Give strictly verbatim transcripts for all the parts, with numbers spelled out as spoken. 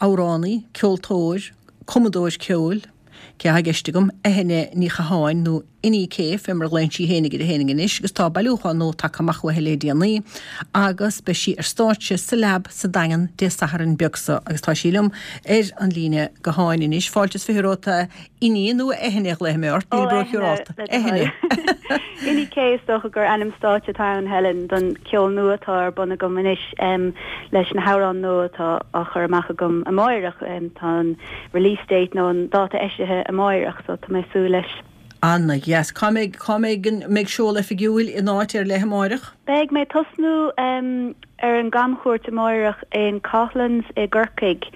Amhránaí, ceoltóir, cumadóir ceoil, cé atá i gceist agam, Eithne Ní Chatháin nó Inni K fé mar a ghlaonn sí fhéinig uirthi fhéinig anois agus tá bailiúchán nua tagtha amach uaithi le déanaí agus beidh sí ar stáitse sa Lab sa Daingean Dé Sathairn beag seo agus tá sí liom ar an líne gutháin anois. Fáilte is fiche romhat a Inni nó a Eithne a ghlaofaidh mé ort, níl róshiúrálta. Eithne. Inni K is dócha gur ainm stáitse atá ann, Helen, don ceol nua atá ar bun agam anois leis na hamhráin nua atá á chur amach agam amáireach. Tá an release date nó an dáta eisithe amáireach so tá mé ag súil leis. Ana-dheas. Cá mbeidh, cá mbeidh an, mbeidh seoladh oifigiúil in áit ar leith amáireach? Beidh mé ag tosnú ar an gcamchuairt amáireach in Coughlan's i gCorcaigh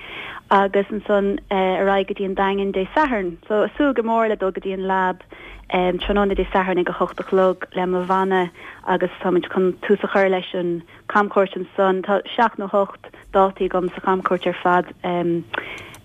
agus ansan ar aghaidh go dtí an Daingean Dé Sathairn. So ag súil go mór le dul go dtí an Lab tráthnóna Dé Sathairn ag a hocht a chlog le mo bhanna agus táimid chun tús a chur leis an camchuairt ansan. Tá seacht nó hocht dátaí agam sa chamchuairt ar fad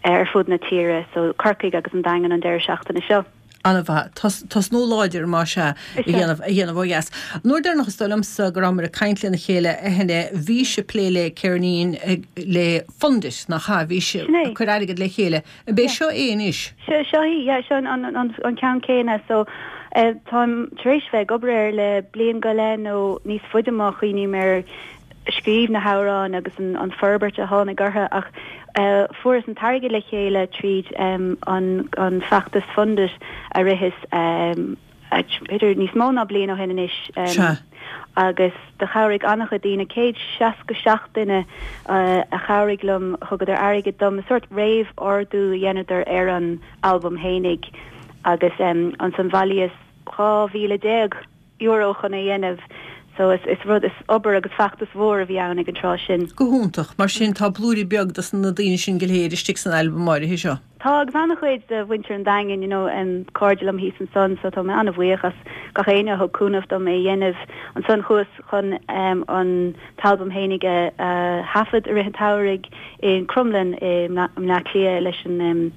ar fud na tíre, so Corcaigh agus an Daingean an deireadh seachtaine seo. An-mhaith. Tosnú láidir, más ea, a dhéanamh, a dhéanamh ó dheas. An uair deireanach is dóigh liomsa go rabhamar ag caint lena chéile, a Eithne, bhís ag plé le ceirnín le Fund It, nach ea? Bhís ag cur airgead le chéile. An b'é seo é anois? Seo, seo í, yeah, seo an, an, an ceann céanna. So, táim tar éis bheith ag obair air le bliain go leith nó níos faide má chuimhním ar scríobh na hamhráin agus an forbairt a tháinig orthu ach fuaireas an t-airgead le chéile tríd an feachtas Fund It a ritheas b'fhéidir níos mó ná bliain ó shin anois agus do chabhraigh an-chuid daoine, céad seasca seacht duine a chabhraigh liom, thugadar airgead dom, sórt réamh-ordú a dheineadar ar an albam fhéinig agus ansan bhailíos dhá mhíle déag. euro chun é a dhéanamh. So is is rud, is obair agus feachtas mhór a bhí ann ag an tráth sin. Go hiontach. Mar sin tá blúirí beag dos na daoine sin go léir istigh san albam áirithe seo. Tá, agus an-chuid de mhuintir an Daingin, you know, em, cairde liom thíos ansan so tá mé an-bhuíoch as gach éinne a thug cúnamh dom é a dhéanamh. Ansan chuas chun em an t-albam fhéinig a a thaifead i rith an tsamhraidh i Crumlin i mBleá Cliath leis an em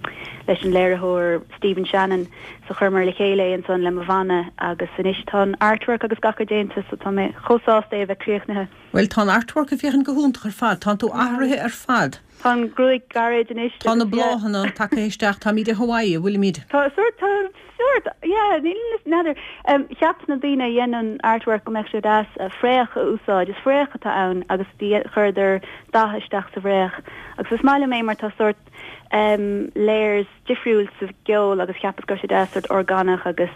leis an léiritheoir Stephen Shannon. So chuireamar le chéile é ansan le mo bhanna agus anois tá an artwork agus gach rud déanta so tá mé chomh sásta é a bheith críochnaithe. Bhuel tá an artwork ag féachaint go hiontach ar fad, tánn tú athraithe ar fad. Tá an ghruaig gairid anois Tá na bláthanna tagtha isteach, táimid i Hawaii, an bhfuilimid? Tá sórt, tá sórt, yeah, níl n'fheadar. Cheap na daoine a dhein an artwork go mbeadh sé deas fraoch a úsáid, is fraoch atá ann agus chuireadar dath isteach sa bhfraoch agus is maith liom é mar tá sórt layers difriúil sa gceol agus cheapas go raibh sé deas sórt orgánach agus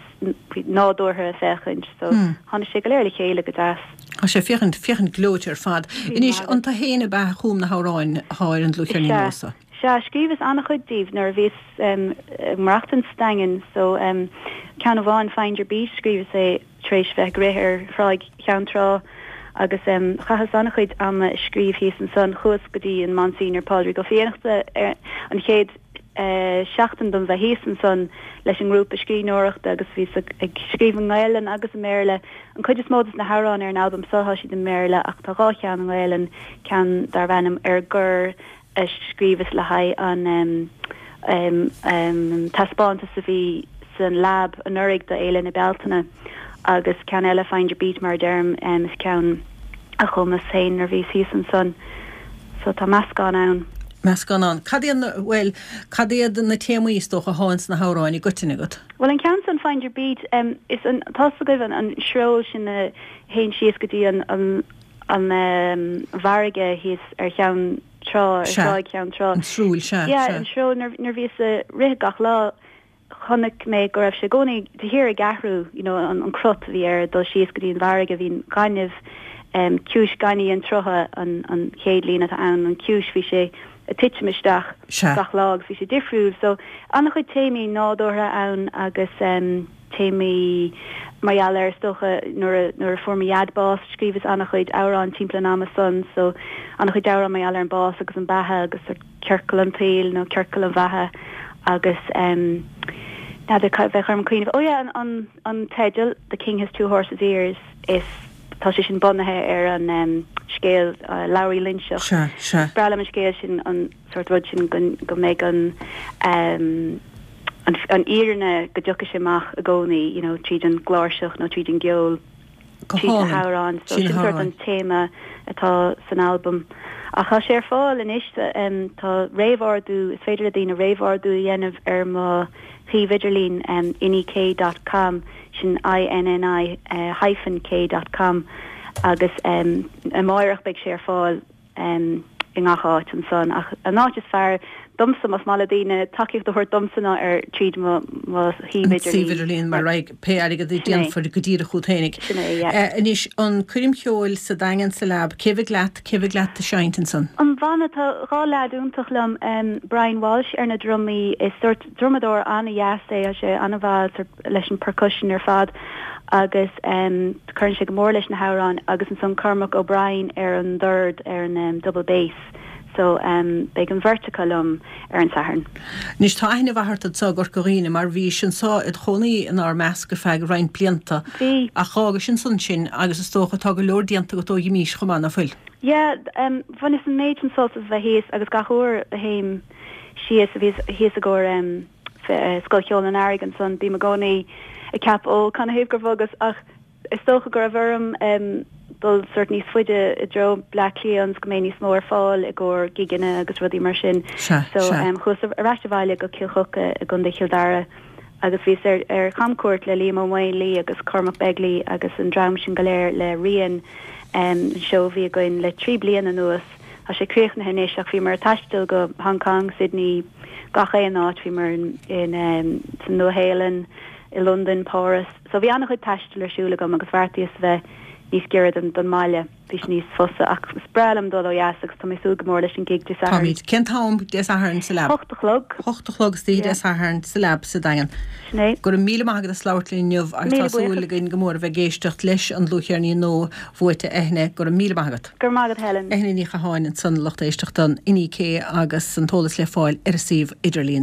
nádúrtha a féachaint so tháinig sé go léir le chéile go deas. Tá sé féachaint, féachaint gleoite ar fad. Anois, an tú fhéin ab ea a chum na hamhráin atá ar an dlúthcheirnín nua seo? Sea, scríobhas an-chuid díobh nuair a bhíos ag maireachtaint sa Daingean so ceann amháin Find Your Beat scríobhas é tar éis bheith ag rith ar Thráigh Cheann Trá agus chaitheas an-chuid ama ag scríobh thíos ansan. Chuas go dtí an Monsignor Pádraig Ó Fiannachta ar an chéad seachtain dom bheith thíos ansan leis an ngrúpa scríbhneoireachta agus bhíos ag scríobh i nGaelainn agus i mBéarla. An chuid is mó de na hamhráin ar an albam seo tá siad i mBéarla ach tá dhá cheann i nGaelainn, ceann darbh ainm Ar Gor a scríobhas le haghaidh an taispeántas a bhí san Lab anuraidh do Fhéile na Bealtaine agus ceann eile Find Your Beat mar a deirim is ceann a chumas féin nuair a bhíos thíos ansan so tá meascán ann. Meascán ann. Cad iad na, bhuel, cad iad na téamaí is dócha atá ins na hamhráin i gcoitinne agat? Bhuel an ceann san Find Your Beat is an, tá's agaibh an an sreol sin a théann síos go dtí an an an bhfarraige thíos ar Cheann Trá, ar Thráigh Cheann Trá. An srúil, sea, sea. Yeah, an srúil nuair nuair bhíos ag rith gach lá chonaic mé go raibh sé i gcónaí de shíor ag athrú, you know, an an crot a bhí air ag dul síos go dtí an bhfarraige, bhí an gaineamh, em, ciumhais gainimh an tsrutha an an chéad líne atá ann, an ciumhais, bhí sé ag titim isteach gach lá agus bhí sé difriúil. So, an-chuid téamaí nádúrtha ann agus, em, téamaí mar gheall ar, is dócha, nuair a nuair a fuair mo dhaid bás, scríobhas an-chuid amhrán timpeall an ama san, so an-chuid amhrán mar gheall ar an bás agus an beatha agus sort ciorcal an tsaoil nó ciorcal an bheatha agus em n'fheadar cad bheadh orm cuimhneamh, oh yeah an an an teideal The King Has Two Horses' Ears is tá sé sin bunaithe ar an em scéal Labhraí Loingseach. Sea, sea. Is breá liom an scéal sin an sort rud sin go go mbeidh an em an an fhírinne go dtiocfaidh sé amach i gcónaí you know tríd an gcláirseach nó tríd an gceol. Trí na hamhráin. So sin sort an téama atá san albam. Ach tá sé ar fáil anois, tá réamhordú, is féidir le daoine réamhordú a dhéanamh ar mo shuíomh idirlín innik dot com, sin I-N-N-I hyphen K dot com, agus amáireach beidh sé ar fáil i ngach áit ansan. Ach an áit is fearr domsa, más maith le daoine tacaíocht a thabhairt domsa ná ar tríd mo mo shuíomh idirlín. Suíomh idirlín mar raghaidh pé airgead a déanfar go díreach chugat fhéinig. Sin é, yeah. Anois, an coirm cheoil sa Daingean sa Lab, cé bheidh leat, cé bheidh leat ag seinnt ansan? An bhanna, tá dhá leaid iontach liom, Brian Walsh ar na drumaí, is sórt drumadóir an-dheas é, tá sé an-mhaith leis an percussion ar fad agus cuireann sé go mór leis na hamhráin agus ansan Cormac O'Brien ar an dord, ar an double bass. So beidh an bheirt acu liom ar an Satharn. Anois tá aithne mhaith ort anseo i gCorca Dhuibhne mar bhís anseo id chónaí inár measc ar feadh roinnt blianta. Bhí. Ach dh'fhágais ansan sin agus is dócha tá go leor déanta agat ó dh'imís chomh maith, ná fuil? Yeah, bhaineas an méid sin sult as bheith thíos agus gach uair a théim síos, a bhíos thíos i gcomhair Scoil Cheoil an Earraigh ansan, bím i gcónaí ag ceapadh, ó, canathaobh gur bhogas ach is dócha go raibh orm dul sort níos faide i dtreo Bleá Cliath ionas go mbeidh níos mó ar fáil i gcomhair gigeanna agus rudaí mar sin. Sea, So sea. chuas ar ais abhaile go Cill Choca i gContae Chill Dara agus bhíos ar ar chamcuairt le Liam Ó Maonlaí agus Cormac Begley agus an dream sin go léir le Rian, an seó a bhí againn le trí bliana anuas. Tá sé críochnaithe anois ach bhíomar ag taisteal go Hong Kong, Sydney, gach aon áit, bhíomar in in sa Nua-Shéalainn, i Londain, Páras. So bhí an-chuid taistil ar siúl agam agus bheartaíos a bheith níos giorra don don mbaile. Bhí sé níos fusa ach is breá liom dul ó dheas agus tá mé ag súil go mór leis an gig Dé Sathairn. Táimid. Cén t-am Dé Sathairn sa Lab? Hocht a chlog. Hocht a chlog istoíche Dé Sathairn sa Lab sa Daingean. Sin é. Go raibh míle maith agat as labhairt linn inniu agus Míle tá súil buíochas. againn go mór a bheith ag éisteacht leis an dlúthcheirnín nua bhuaite Eithne. Go raibh míle maith agat. Go raibh maith agat Helen. Eithne Ní Chatháin ansan lucht éisteachta an Inni K agus an t-eolas le fáil ar a suíomh idirlín.